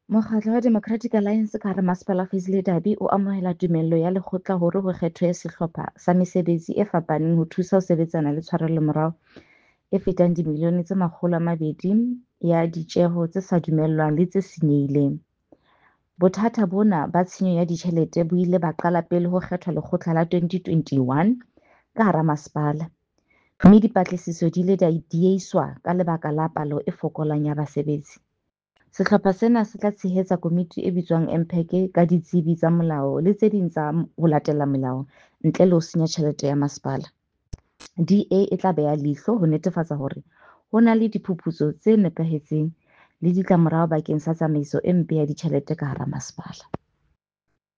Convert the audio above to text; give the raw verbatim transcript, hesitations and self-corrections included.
Mokgatlo wa Democratic Alliance ka hara Masepala wa Fezile Dabi o amohela tumello ya lekgotla hore ho kgethwe sehlopha sa mesebetsi e fapaneng ho thusa ho sebetsana le tshwarelomorao e fetang dimilione tse makgolo a mabedi ya ditjeho tse sa dumellwang le tse senyehileng. Bothata bona ba tshenyo ya ditjhelete bo ile ba qala pele ho kgethwa lekgotla la twenty twenty-one ka hara masepala, mme dipatlisiso di ile tsa diehiswa ka lebaka la palo e fokolang ya basebetsi. Sehlopha sena se tla tshehetsa komiti e bitswang M P A C ka ditsebi tsa molao le tse ding tsa ho latela melao ntle le ho senya tjhelete ya masepala. D A e tla beha leihlo ho netefatsa hore ho na le diphuputso tse nepahetseng le ditlamorao bakeng sa tsamaiso e mpe ya ditjhelete ka hara masepala.